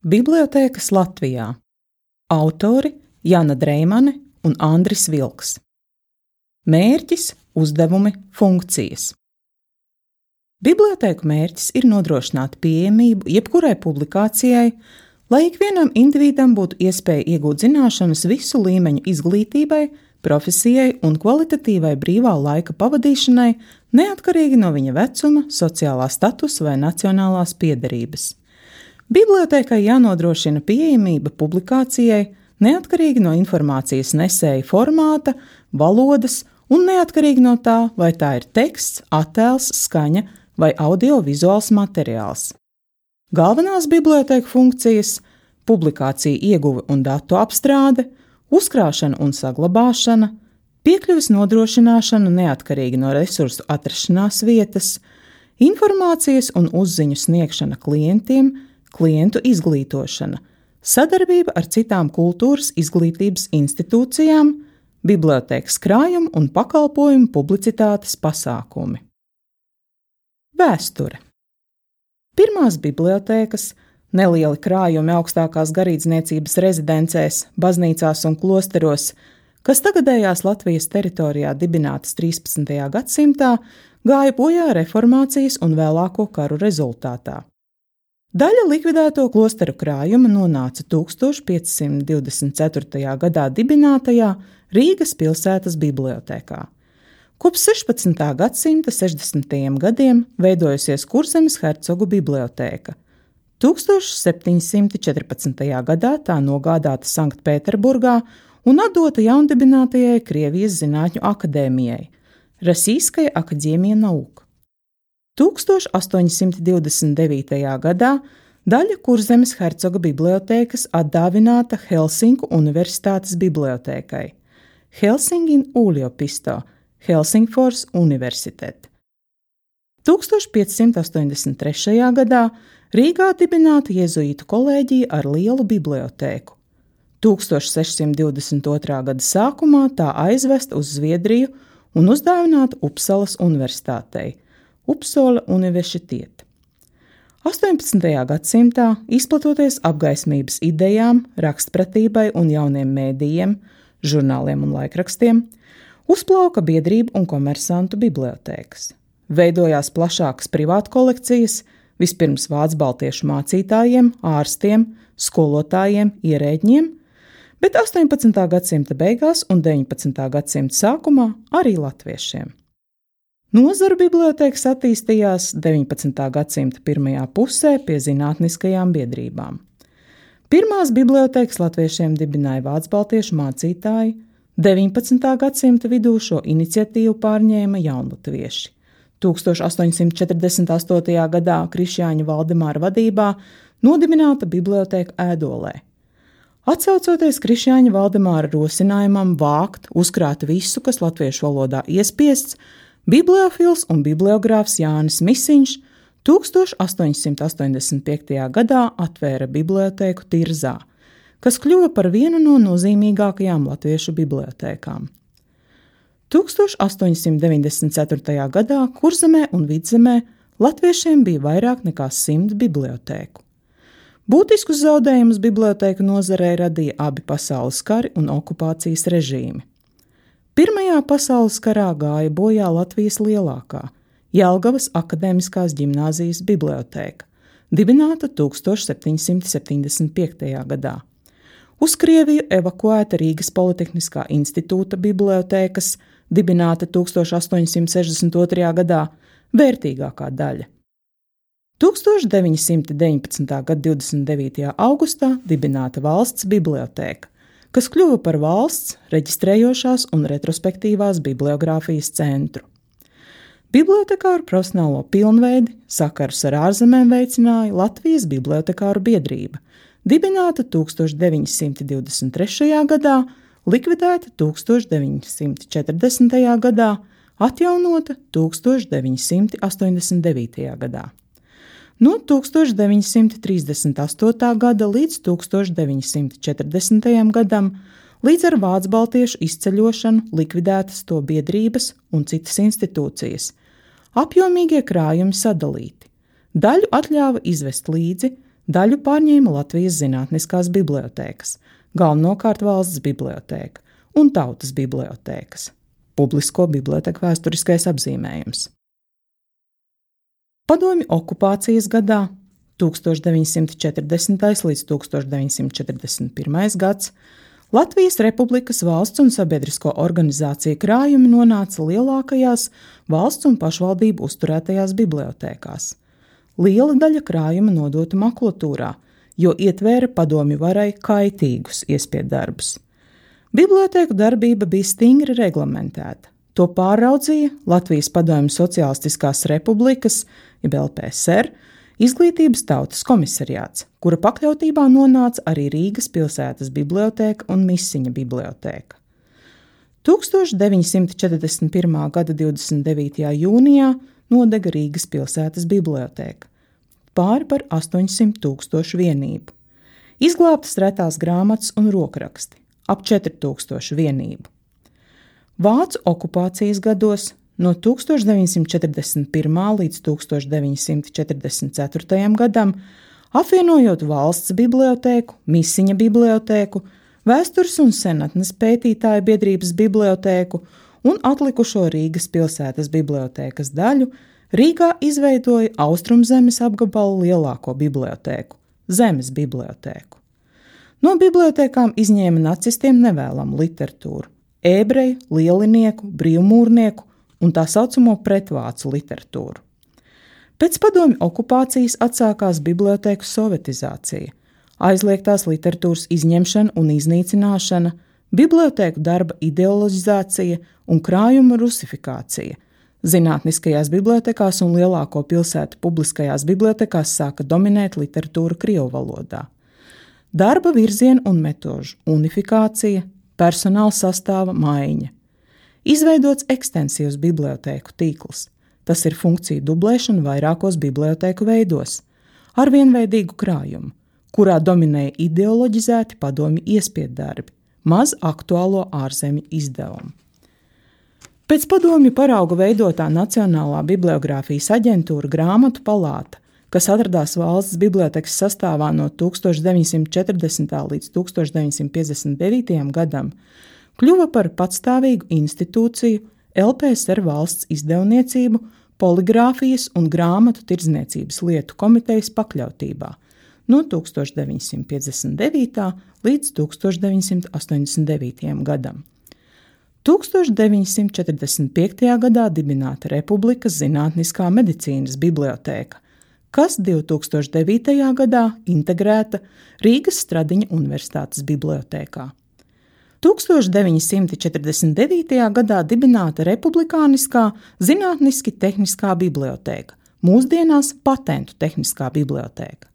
Bibliotēkas Latvijā. Autori Jana Dreimane un Andris Vilks. Mērķis, uzdevumi, funkcijas. Bibliotēku mērķis ir nodrošināt pieejamību jebkurai publikācijai, lai ikvienam individam būtu iespēja iegūt zināšanas visu līmeņu izglītībai, profesijai un kvalitatīvai brīvā laika pavadīšanai, neatkarīgi no viņa vecuma, sociālā statusa vai nacionālās piederības. Bibliotēkai jānodrošina pieejamība publikācijai, neatkarīgi no informācijas nesēja formāta, valodas un neatkarīgi no tā, vai tā ir teksts, attēls, skaņa vai audiovizuāls materiāls. Galvenās bibliotēku funkcijas – publikāciju ieguve un datu apstrāde, uzkrāšana un saglabāšana, piekļuves nodrošināšana neatkarīgi no resursu atrašanās vietas, informācijas un uzziņu sniegšana klientiem, klientu izglītošana, sadarbība ar citām kultūras izglītības institūcijām, bibliotēkas krājuma un pakalpojumu publicitātes pasākumi. Vēsture. Pirmās bibliotēkas, nelieli krājumi augstākās garīdzniecības rezidencēs, baznīcās un klosteros, kas tagadējās Latvijas teritorijā dibinātas 13. gadsimtā, gāja bojā reformācijas un vēlāko karu rezultātā. Daļa likvidēto klosteru krājuma nonāca 1524. gadā dibinātajā Rīgas pilsētas bibliotēkā. Kopš 16. gadsimta 60. gadiem veidojusies Kurzemes hercogu bibliotēka. 1714. gadā tā nogādāta Sanktpēterburgā un atdota jaundibinātajai Krievijas zinātņu akadēmijai Rasīskaja akadēmija nauk. 1829. gadā daļa Kurzemes hercoga bibliotēkas atdāvināta Helsinku universitātes bibliotēkai Helsingin yliopisto, Helsingfors universitet. 1583. gadā Rīgā dibināta jezuītu kolēģija ar lielu bibliotēku. 1622. gada sākumā tā aizvesta uz Zviedriju un uzdāvināta Upsalas universitātei Upsala universitāte. 18. gadsimtā, izplatoties apgaismības idejām, rakstpratībai un jauniem mēdījiem, žurnāliem un laikrakstiem, uzplauka biedrību un komersantu bibliotēkas. Veidojās plašākas privātu kolekcijas, vispirms vācu baltiešu mācītājiem, ārstiem, skolotājiem, ierēģiem, bet 18. gadsimta beigās un 19. gadsimta sākumā arī latviešiem. Nozaru bibliotēkas attīstījās 19. gadsimta pirmajā pusē pie zinātniskajām biedrībām. Pirmās bibliotēkas latviešiem dibināja vācu-baltiešu mācītāji, 19. gadsimta vidū šo iniciatīvu pārņēma jaunatvieši. 1848. gadā Krišjāņa Valdemāra vadībā nodibināta bibliotēka Ēdolē. Atsaucoties Krišjāņa Valdemāra rosinājumam vākt, uzkrāt visu, kas latviešu valodā iespiests, bibliofils un bibliogrāfs Jānis Misiņš 1885. gadā atvēra bibliotēku Tirzā, kas kļuva par vienu no nozīmīgākajām latviešu bibliotēkām. 1894. gadā Kurzemē un Vidzemē latviešiem bija vairāk nekā 100 bibliotēku. Būtiskus zaudējumus bibliotēku nozarei radīja abi pasaules kari un okupācijas režīmi. Pirmajā pasaules karā gāja bojā Latvijas lielākā, Jelgavas akadēmiskās ģimnāzijas bibliotēka, dibināta 1775. gadā. Uz Krieviju evakuēta Rīgas Politehniskā institūta bibliotēkas, dibināta 1862. gadā, vērtīgākā daļa. 1919. gada 29. augustā dibināta valsts bibliotēka, kas kļuva par valsts reģistrējošās un retrospektīvās bibliogrāfijas centru. Bibliotekāru profesionālo pilnveidi sakarus ar ārzemēm veicināja Latvijas bibliotekāru biedrība, dibināta 1923. gadā, likvidēta 1940. gadā, atjaunota 1989. gadā. No 1938. gada līdz 1940. gadam, līdz ar vācu-baltiešu izceļošanu likvidētas to biedrības un citas institūcijas. Apjomīgie krājumi sadalīti. Daļu atļāva izvest līdzi, Daļu pārņēma Latvijas zinātniskās bibliotēkas, galvenokārt Valsts bibliotēka un Tautas bibliotēkas. Publisko biblioteku vēsturiskais apzīmējums. Padomju okupācijas gadā 1940. līdz 1941. gads Latvijas Republikas valsts un sabiedrisko organizāciju krājumi nonāca lielākajās valsts un pašvaldību uzturētajās bibliotēkās. Liela daļa krājuma nodota makulatūrā, jo ietvēra padomju varai kaitīgus iespiedarbus. Bibliotēku darbība bija stingri reglamentēta. To pāraudzīja Latvijas Padomju Sociālistiskās Republikas, jeb LPSR, Izglītības tautas komisariāts, kura pakļautībā nonāca arī Rīgas pilsētas bibliotēka un Misiņa bibliotēka. 1941. gada 29. jūnijā nodega Rīgas pilsētas bibliotēka, pāri par 800,000 vienību. Izglābtas retās grāmatas un rokraksti, ap 4,000 vienību. Vācu okupācijas gados no 1941. līdz 1944. gadam, apvienojot Valsts bibliotēku, Misiņa bibliotēku, Vēstures un senatnes pētītāju biedrības bibliotēku un atlikušo Rīgas pilsētas bibliotēkas daļu, Rīgā izveidoja Austrumzemes apgabalu lielāko bibliotēku – Zemes bibliotēku. No bibliotēkām izņēma nacistiem nevēlamu literatūru – ebreju, lielinieku, brīvmūrnieku un tā saucamo pretvācu literatūru. Pēc padomju okupācijas atsākās bibliotēku sovetizācija, aizliegtās literatūras izņemšana un iznīcināšana, bibliotēku darba ideoloģizācija un krājuma rusifikācija. Zinātniskajās bibliotekās un lielāko pilsētu publiskajās bibliotekās sāka dominēt literatūra krievu valodā. Darba virzienu un metožu unifikācija, personāla sastāva maiņa. Izveidots ekstensīvs bibliotēku tīkls. Tas ir funkciju dublēšana vairākos bibliotēku veidos, ar vienveidīgu krājumu, kurā dominēja ideoloģizēti padomju iespieddarbi, maz aktuālo ārzemju izdevumu. Pēc padomju parauga veidotā Nacionālā bibliogrāfijas aģentūra Grāmatu palāta, kas atradās Valsts bibliotekas sastāvā no 1940. līdz 1959. gadam, kļuva par patstāvīgu institūciju LPSR valsts izdevniecību, poligrāfijas un grāmatu tirdzniecības lietu komitejas pakļautībā no 1959. līdz 1989. gadam. 1945. gadā dibināta Republikas Zinātniskā medicīnas bibliotēka, kas 2009. gadā integrēta Rīgas Stradiņa Universitātes bibliotēkā. 1949. gadā dibināta Republikāniskā Zinātniski-tehniskā bibliotēka, mūsdienās Patentu tehniskā bibliotēka.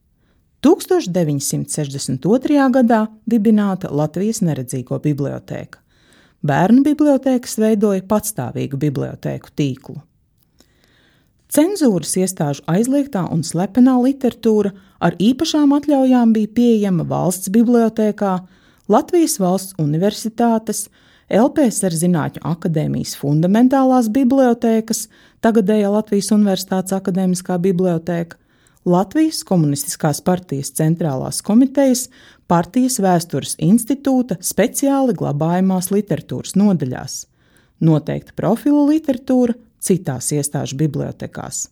1962. gadā dibināta Latvijas neredzīgo bibliotēka. Bērnu bibliotēkas veidoja patstāvīgu bibliotēku tīklu. Cenzūras iestāžu aizliegtā un slepenā literatūra ar īpašām atļaujām bija pieejama Valsts bibliotēkā, Latvijas Valsts universitātes, LPSR Zinātņu akadēmijas fundamentālās bibliotēkas, tagadējā Latvijas Universitātes akadēmiskā bibliotēka, Latvijas Komunistiskās partijas centrālās komitejas, partijas vēstures institūta speciāli glabājamās literatūras nodaļās, noteikta profilu literatūra citās iestāžu bibliotekās.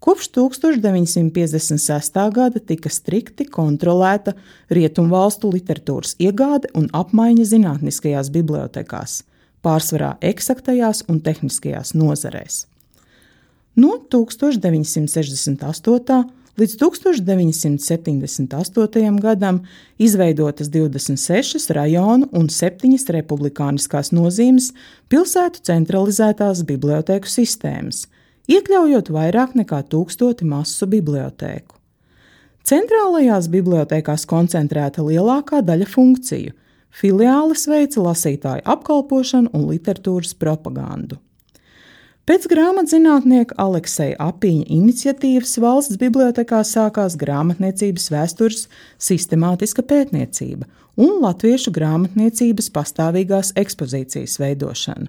Kopš 1956. gada tika strikti kontrolēta rietumvalstu literatūras iegāde un apmaiņa zinātniskajās bibliotekās, pārsvarā eksaktajās un tehniskajās nozarēs. No 1968. līdz 1978. gadam izveidotas 26 rajonu un 7 republikāniskās nozīmes pilsētu centralizētās bibliotēku sistēmas, iekļaujot vairāk nekā 1000 masu bibliotēku. Centrālajās bibliotēkās koncentrēta lielākā daļa funkciju, filiāles veica lasītāju apkalpošanu un literatūras propagandu. Pēc grāmatzinātnieka Alekseja Apīņa iniciatīvas Valsts bibliotekā sākās grāmatniecības vēstures sistemātiska pētniecība un latviešu grāmatniecības pastāvīgās ekspozīcijas veidošana.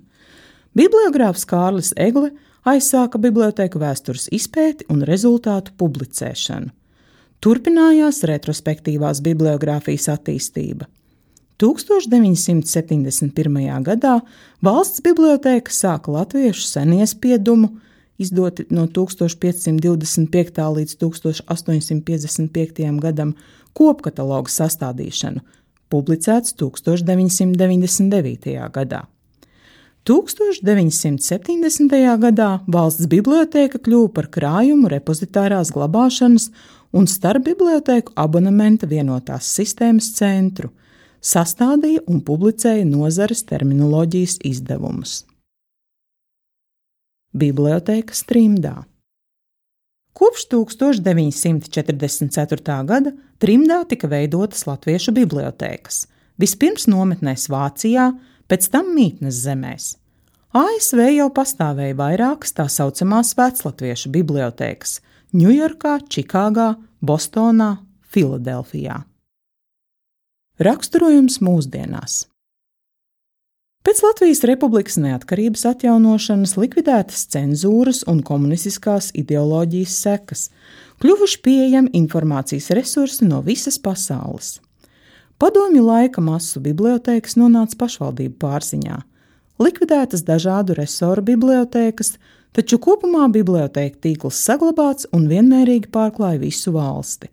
Bibliogrāfs Kārlis Egle aizsāka bibliotēku vēstures izpēti un rezultātu publicēšanu. Turpinājās retrospektīvās bibliogrāfijas attīstība. 1971. gadā Valsts bibliotēka sāka latviešu seniespiedumu, izdoti no 1525. līdz 1855. gadam, kopkatalogu sastādīšanu, publicēts 1999. gadā. 1970. gadā Valsts bibliotēka kļuva par krājumu repozitārās glabāšanas un starpbibliotēku abonementa vienotās sistēmas centru, sastādīja un publicēja nozares terminoloģijas izdevumus. Bibliotēka Trimdā. Kopš 1944. gada Trimdā tika veidotas latviešu bibliotēkas, vispirms nometnēs Vācijā, pēc tam mītnes zemēs. ASV jau pastāvēja vairākas tā saucamās veclatviešu bibliotēkas – Ņujorkā, Čikāgā, Bostonā, Filadelfijā. Raksturojums mūsdienās. Pēc Latvijas Republikas neatkarības atjaunošanas likvidētas cenzūras un komunistiskās ideoloģijas sekas, kļuvuši pieejami informācijas resursi no visas pasaules. Padomju laika masu bibliotēkas nonāca pašvaldību pārziņā, likvidētas dažādu resoru bibliotēkas, taču kopumā bibliotēku tīkls saglabāts un vienmērīgi pārklāja visu valsti.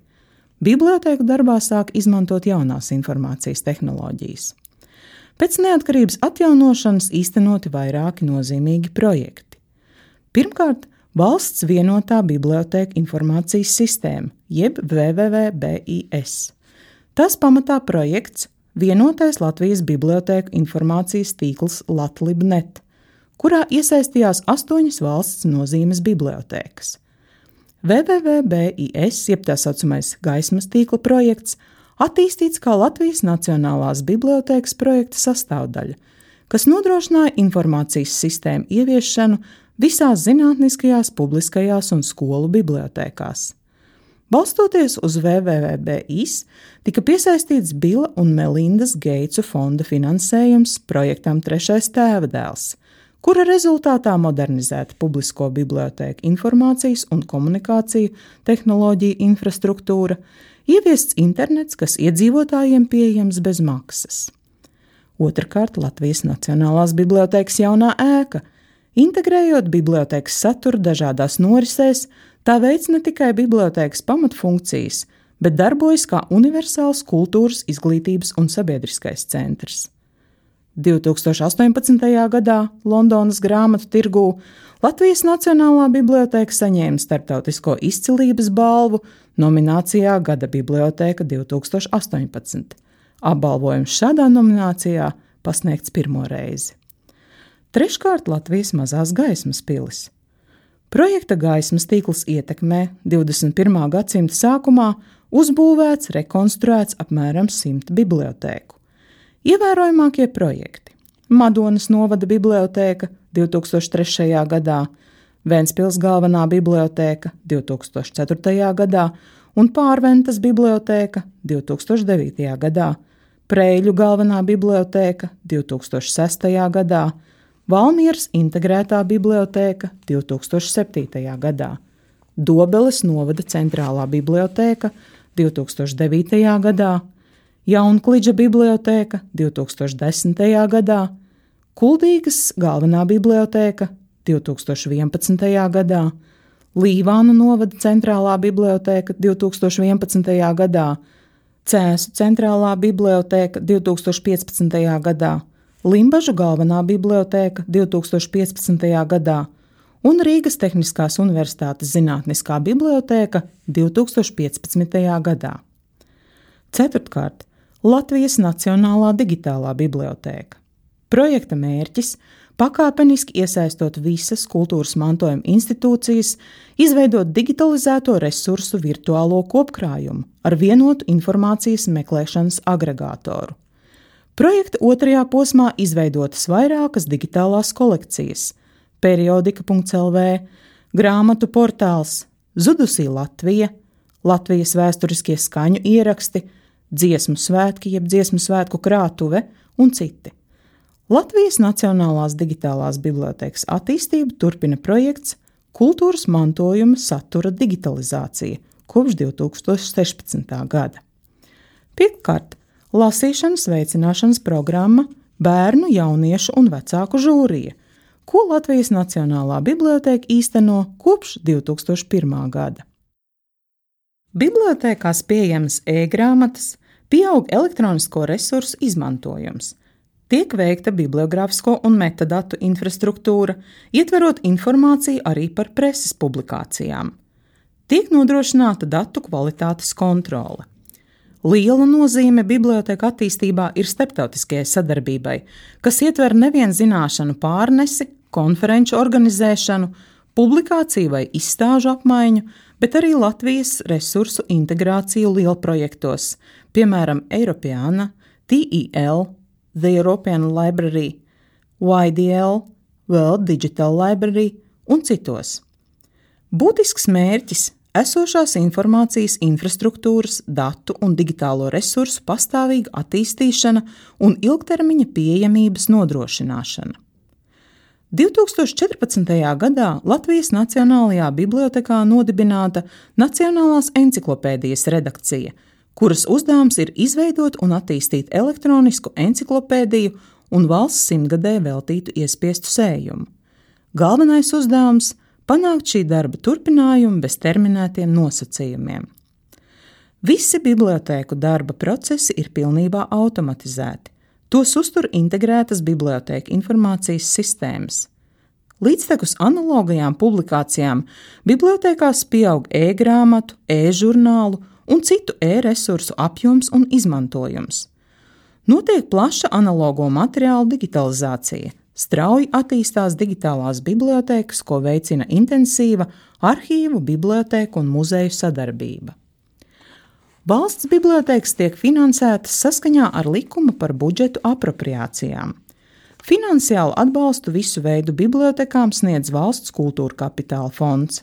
Bibliotēku darbā sāk izmantot jaunās informācijas tehnoloģijas. Pēc neatkarības atjaunošanas īstenoti vairāki nozīmīgi projekti. Pirmkārt, Valsts vienotā bibliotēku informācijas sistēma, jeb WWW-BIS. Tas pamatā projekts Vienotais Latvijas bibliotēku informācijas tīkls Latlib.net, kurā iesaistījās 8 valsts nozīmes bibliotēkas. WWW-BIS, jeb tā saucamais gaismas tīkla projekts, attīstīts kā Latvijas Nacionālās bibliotēkas projekta sastāvdaļa, kas nodrošināja informācijas sistēmu ieviešanu visās zinātniskajās, publiskajās un skolu bibliotēkās. Balstoties uz WWW-BIS, tika piesaistīts Bila un Melindas Geitsu fonda finansējums projektam Trešais tēvadēls, kura rezultātā modernizēta publisko bibliotēku informācijas un komunikāciju tehnoloģiju infrastruktūra, ieviests internets, kas iedzīvotājiem pieejams bez maksas. Otrkārt, Latvijas Nacionālās bibliotēkas jaunā ēka, integrējot bibliotēkas saturu dažādās norisēs, tā veic ne tikai bibliotēkas pamatfunkcijas, bet darbojas kā universāls kultūras, izglītības un sabiedriskais centrs. 2018. gadā Londonas grāmatu tirgū Latvijas Nacionālā bibliotēka saņēma starptautisko izcilības balvu nominācijā Gada bibliotēka 2018. Apbalvojums šādā nominācijā pasniegts pirmo reizi. Treškārt, Latvijas mazās gaismas pilis. Projekta gaismas tīkls ietekmē 21. gadsimta sākumā uzbūvēts, rekonstruēts apmēram 100 bibliotēku. Ievērojamākie projekti – Madonas novada bibliotēka 2003. gadā, Ventspils galvenā bibliotēka 2004. gadā un Pārventas bibliotēka 2009. gadā, Preiļu galvenā bibliotēka 2006. gadā, Valmieras integrētā bibliotēka 2007. gadā, Dobeles novada centrālā bibliotēka 2009. gadā, Jaunkliģa bibliotēka 2010. gadā, Kuldīgas galvenā bibliotēka 2011. gadā, Līvānu novada centrālā bibliotēka 2011. gadā, Cēsu centrālā bibliotēka 2015. gadā, Limbažu galvenā bibliotēka 2015. gadā un Rīgas Tehniskās Universitātes zinātniskā bibliotēka 2015. gadā. Ceturtkārt, Latvijas Nacionālā digitālā bibliotēka. Projekta mērķis – pakāpeniski iesaistot visas kultūras mantojuma institūcijas, izveidot digitalizēto resursu virtuālo kopkrājumu ar vienotu informācijas meklēšanas agregātoru. Projekta otrajā posmā izveidotas vairākas digitālās kolekcijas – periodika.lv, grāmatu portāls, Zudusī Latvija, Latvijas vēsturiskie skaņu ieraksti, dziesmu svētki jeb dziesmu svētku krātuve un citi. Latvijas Nacionālās digitālās bibliotēkas attīstību turpina projekts Kultūras mantojuma satura digitalizācija, kopš 2016. gada. Pirmkārt, lasīšanas veicināšanas programma Bērnu, jauniešu un vecāku žūrija, ko Latvijas Nacionālā bibliotēka īsteno kopš 2001. gada. Bibliotēkās pieejamas e-grāmatas, pieaug elektronisko resursu izmantojums, tiek veikta bibliogrāfisko un metadatu infrastruktūra, ietverot informāciju arī par preses publikācijām. Tiek nodrošināta datu kvalitātes kontrole. Liela nozīme bibliotēku attīstībā ir starptautiskajai sadarbībai, kas ietver nevien zināšanu pārnesi, konferenču organizēšanu, publikāciju vai izstāžu apmaiņu, bet arī Latvijas resursu integrāciju lielprojektos, piemēram, Eiropeana, TEL, The European Library, YDL, World Digital Library un citos. Būtisks mērķis – esošās informācijas infrastruktūras, datu un digitālo resursu pastāvīga attīstīšana un ilgtermiņa pieejamības nodrošināšana. 2014. gadā Latvijas Nacionālajā bibliotēkā nodibināta Nacionālās enciklopēdijas redakcija, kuras uzdevums ir izveidot un attīstīt elektronisku enciklopēdiju un valsts simtgadē veltītu iespiestu sējumu. Galvenais uzdevums – panākt šī darba turpinājumu bez terminētiem nosacījumiem. Visi bibliotēku darba procesi ir pilnībā automatizēti. Tos uztur integrētas bibliotēku informācijas sistēmas. Līdztekus analogajām publikācijām bibliotēkās pieaug e-grāmatu, e-žurnālu un citu e-resursu apjoms un izmantojums. Notiek plaša analogo materiālu digitalizācija. Strauji attīstās digitālās bibliotēkas, ko veicina intensīva arhīvu, bibliotēku un muzeju sadarbība. Valsts bibliotēkas tiek finansētas saskaņā ar likumu par budžetu apropriācijām. Finansiālu atbalstu visu veidu bibliotēkām sniedz Valsts kultūra kapitāla fonds.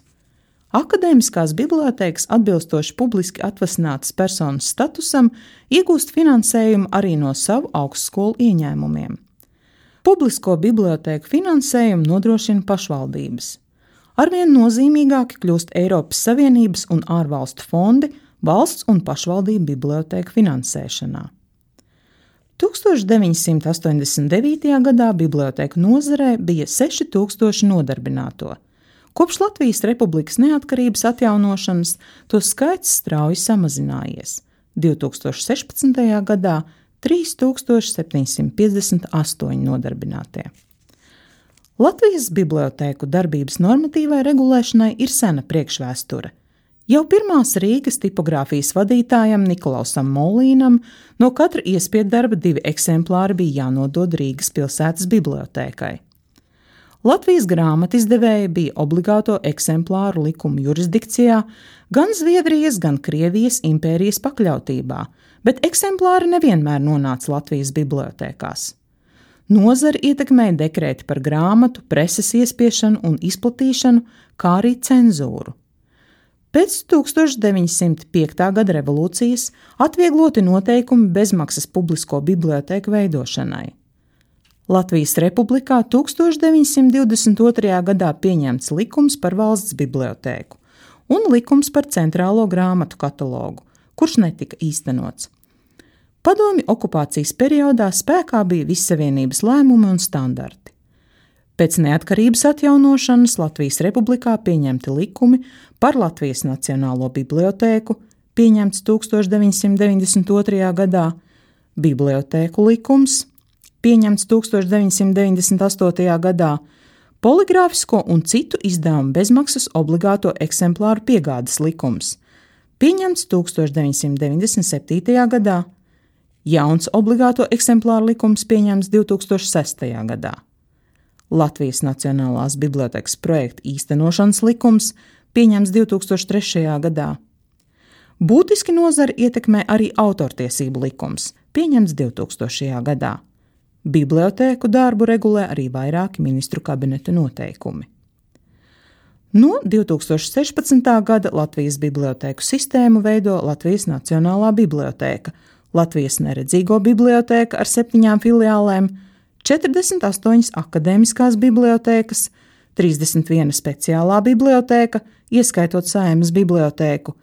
Akadēmiskās bibliotēkas atbilstoši publiski atvasinātas personas statusam iegūst finansējumu arī no savu augstskolu ieņēmumiem. Publisko bibliotēku finansējumu nodrošina pašvaldības. Arvien nozīmīgāki kļūst Eiropas Savienības un ārvalstu fondi valsts un pašvaldību bibliotēku finansēšanā. 1989. gadā bibliotēku nozarē bija 6000 nodarbināto. Kopš Latvijas Republikas neatkarības atjaunošanas to skaits strauji samazinājies. 2016. gadā 3758 nodarbinātie. Latvijas bibliotēku darbības normatīvai regulēšanai ir sena priekšvēsture. Jau pirmās Rīgas tipogrāfijas vadītājam Nikolausam Molīnam no katra iespiedarba 2 eksemplāri bija jānodod Rīgas pilsētas bibliotēkai. Latvijas grāmatizdevēja bija obligāto eksemplāru likumu jurisdikcijā gan Zviedrijas, gan Krievijas impērijas pakļautībā, bet eksemplāri nevienmēr nonāca Latvijas bibliotēkās. Nozari ietekmēja dekrēti par grāmatu, preses iespiešanu un izplatīšanu, kā arī cenzūru. Pēc 1905. gada revolūcijas atviegloti noteikumi bezmaksas publisko bibliotēku veidošanai. Latvijas Republikā 1922. gadā pieņemts likums par valsts bibliotēku un likums par centrālo grāmatu katalogu, kurš netika īstenots. Padomju okupācijas periodā spēkā bija Vissavienības lēmumi un standarti. Pēc neatkarības atjaunošanas Latvijas Republikā pieņemti likumi par Latvijas Nacionālo bibliotēku, pieņemts 1992. gadā, bibliotēku likums, pieņemts 1998. gadā, poligrāfisko un citu izdevumu bezmaksas obligāto eksemplāru piegādes likums, pieņemts 1997. gadā, jauns obligāto eksemplāru likums pieņemts 2006. gadā. Latvijas Nacionālās bibliotēkas projekta īstenošanas likums pieņemts 2003. gadā. Būtiski nozari ietekmē arī autortiesību likums, pieņemts 2000. gadā. Bibliotēku darbu regulē arī vairāki ministru kabineta noteikumi. No 2016. gada Latvijas bibliotēku sistēmu veido Latvijas Nacionālā bibliotēka, Latvijas neredzīgo bibliotēka ar 7 filiālēm, 48 akadēmiskās bibliotēkas, 31 speciālā bibliotēka, ieskaitot Saeimas bibliotēku,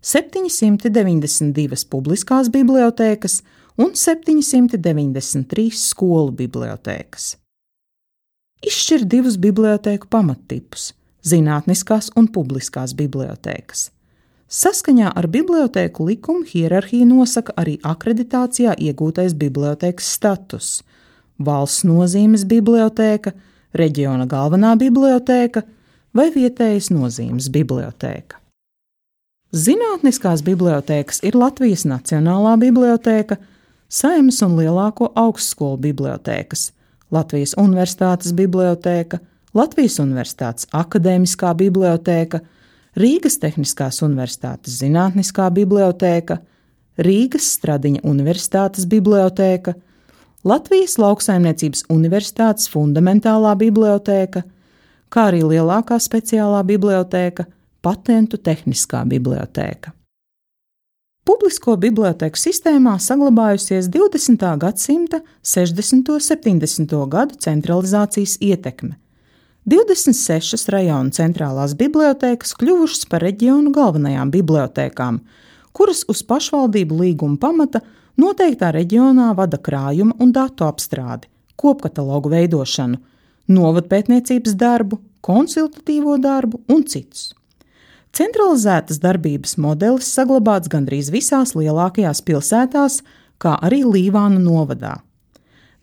792 publiskās bibliotēkas un 793 skolu bibliotēkas. Izšķir divus bibliotēku pamattipus – zinātniskās un publiskās bibliotēkas. Saskaņā ar bibliotēku likumu hierarhiju nosaka arī akreditācijā iegūtais bibliotēkas status – valsts nozīmes bibliotēka, reģiona galvenā bibliotēka vai vietējas nozīmes bibliotēka. Zinātniskās bibliotēkas ir Latvijas Nacionālā bibliotēka, Saeimas un lielāko augstskolu bibliotēkas, Latvijas Universitātes bibliotēka, Latvijas Universitātes akadēmiskā bibliotēka, Rīgas Tehniskās Universitātes zinātniskā bibliotēka, Rīgas Stradiņa Universitātes bibliotēka, Latvijas Lauksaimniecības Universitātes fundamentālā bibliotēka, kā arī lielākā speciālā bibliotēka, Patentu tehniskā bibliotēka. Publisko bibliotēku sistēmā saglabājusies 20. gadsimta 60. un 70. gadu centralizācijas ietekme. 26 rajonu centrālās bibliotēkas kļuvušas par reģionu galvenajām bibliotēkām, kuras uz pašvaldību līguma pamata noteiktā reģionā vada krājuma un datu apstrādi, kopkatalogu veidošanu, novadpētniecības darbu, konsultatīvo darbu un citus. Centralizētas darbības modelis saglabāts gandrīz visās lielākajās pilsētās, kā arī Līvānu novadā.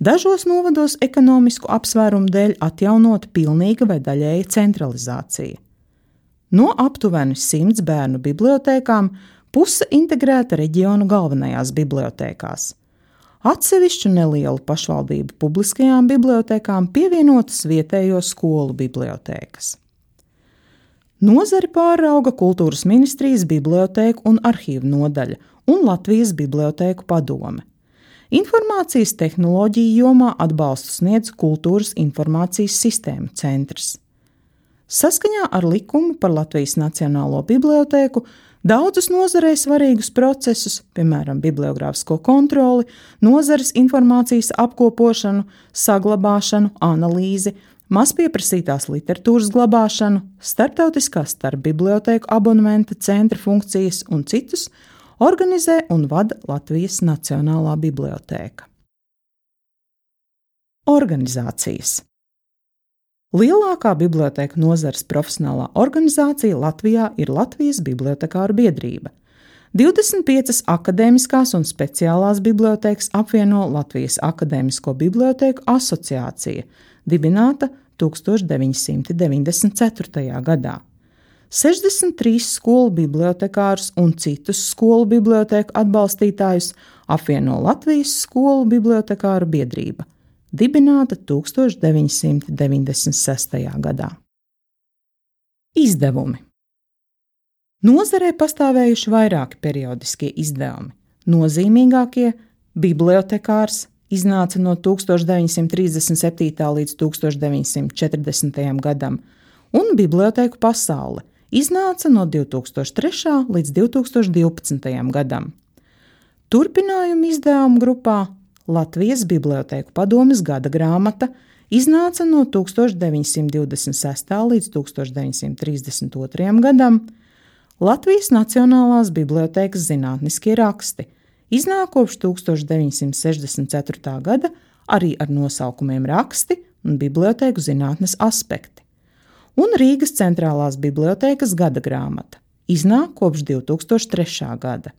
Dažos novados ekonomisku apsvērumu dēļ atjaunota pilnīga vai daļēja centralizācija. No aptuveni 100 bērnu bibliotēkām puse integrēta reģionu galvenajās bibliotēkās. Atsevišķu nelielu pašvaldību publiskajām bibliotēkām pievienotas vietējo skolu bibliotēkas. Nozari pārauga Kultūras ministrijas bibliotēku un arhīvu nodaļa un Latvijas bibliotēku padome. Informācijas tehnoloģiju jomā atbalstu sniedz Kultūras informācijas sistēmu centrs. Saskaņā ar likumu par Latvijas Nacionālo bibliotēku daudzus nozarei svarīgus procesus, piemēram, bibliogrāfisko kontroli, nozares informācijas apkopošanu, saglabāšanu, analīzi, mazpieprasītās literatūras glabāšanu, starptautiskās starpbibliotēku abonementa centra funkcijas un citus organizē un vada Latvijas Nacionālā bibliotēka. Organizācijas. Lielākā bibliotēku nozares profesionālā organizācija Latvijā ir Latvijas bibliotekāru biedrība. 25 akadēmiskās un speciālās bibliotēkas apvieno Latvijas Akadēmisko bibliotēku asociācija, dibināta 1994. gadā. 63 skolu bibliotekārus un citus skolu bibliotēku atbalstītājus apvieno Latvijas skolu bibliotekāru biedrība, dibināta 1996. gadā. Izdevumi. Nozarē pastāvējuši vairāki periodiskie izdevumi. Nozīmīgākie – bibliotekārs iznāca no 1937. līdz 1940. gadam, un Bibliotēku pasaule iznāca no 2003. līdz 2012. gadam. Turpinājumu izdevumu grupā Latvijas Bibliotēku padomes gada grāmata iznāca no 1926. līdz 1932. gadam, Latvijas Nacionālās bibliotēkas zinātniskie raksti iznāk kopš 1964. gada arī ar nosaukumiem raksti un bibliotēku zinātnes aspekti. Un Rīgas centrālās bibliotēkas gada grāmata iznāk kopš 2003. gada.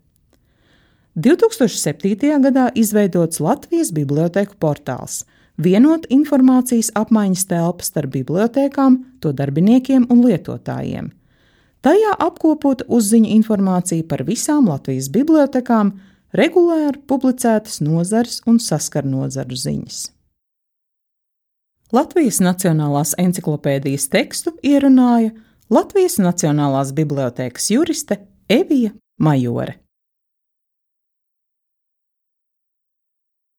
2007. gadā izveidots Latvijas bibliotēku portāls, vienota informācijas apmaiņas telpa starp bibliotēkām, to darbiniekiem un lietotājiem. Tajā apkopota uzziņu informācija par visām Latvijas bibliotēkām, regulāri publicētas nozares un saskarnozaru ziņas. Latvijas Nacionālās enciklopēdijas tekstu ierunāja Latvijas Nacionālās bibliotēkas juriste Evija Majore.